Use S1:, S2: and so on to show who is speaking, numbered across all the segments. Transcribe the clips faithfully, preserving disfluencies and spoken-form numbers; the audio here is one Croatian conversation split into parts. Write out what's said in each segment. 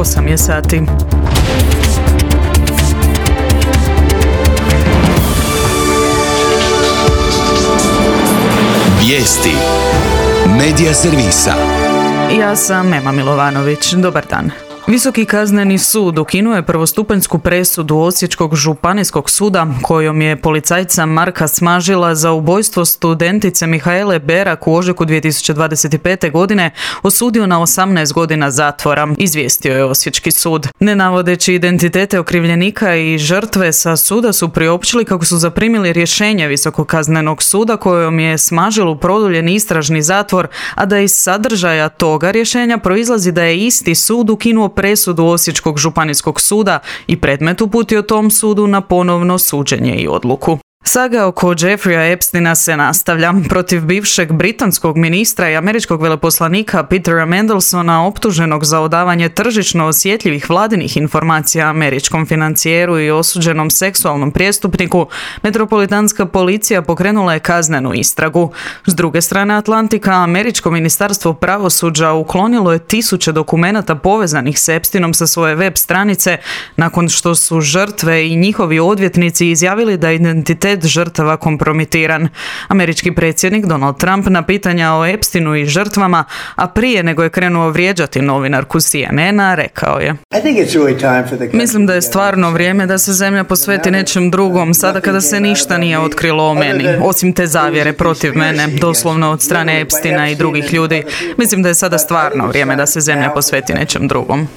S1: osam je sati.
S2: Vijesti Medija servisa.
S1: Ja sam Ema Milovanović. Dobar dan. Visoki kazneni sud ukinuo je prvostupanjsku presudu Osječkog županijskog suda kojom je policajca Marka Smažila za ubojstvo studentice Mihaele Berak u ožujku dvije tisuće dvadeset pete. godine osudio na osamnaest godina zatvora, izvijestio je Osječki sud. Ne navodeći identitete okrivljenika i žrtve, sa suda su priopćili kako su zaprimili rješenje Visokog kaznenog suda kojom je Smažilu produljen istražni zatvor, a da iz sadržaja toga rješenja proizlazi da je isti sud ukinuo presudu Osječkog županijskog suda i predmet uputio tom sudu na ponovno suđenje i odluku. Saga oko Jeffreya Epsteina se nastavlja. Protiv bivšeg britanskog ministra i američkog veleposlanika Petera Mandelsona, optuženog za odavanje tržišno osjetljivih vladinih informacija američkom financijeru i osuđenom seksualnom prijestupniku, metropolitanska policija pokrenula je kaznenu istragu. S druge strane Atlantika, američko ministarstvo pravosuđa uklonilo je tisuće dokumenata povezanih s Epsteinom sa svoje web stranice nakon što su žrtve i njihovi odvjetnici izjavili da identitet žrtava kompromitiran. Američki predsjednik Donald Trump na pitanja o Epsteinu i žrtvama, a prije nego je krenuo vrijeđati novinarku C N N-a, rekao je: Mislim da je stvarno vrijeme da se zemlja posveti nečem drugom, sada kada se ništa nije otkrilo o meni, osim te zavjere protiv mene, doslovno od strane Epsteina i drugih ljudi. Mislim da je sada stvarno vrijeme da se zemlja posveti nečem drugom.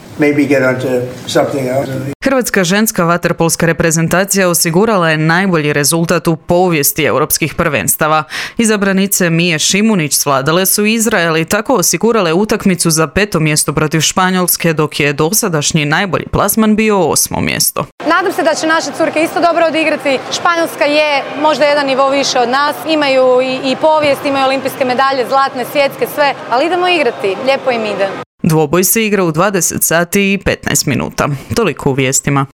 S1: Hrvatska ženska vaterpolska reprezentacija osigurala je najbolji rezultat u povijesti europskih prvenstava. Izabranice Mije Šimunić svladale su Izrael i tako osigurale utakmicu za peto mjesto protiv Španjolske, dok je dosadašnji najbolji plasman bio osmo mjesto.
S3: Nadam se da će naše curke isto dobro odigrati. Španjolska je možda jedan nivo više od nas. Imaju i, i povijest, imaju olimpijske medalje, zlatne, svjetske, sve, ali idemo igrati. Lijepo im ide.
S1: Dvoboj se igra u dvadeset sati i petnaest minuta. Toliko u vijestima.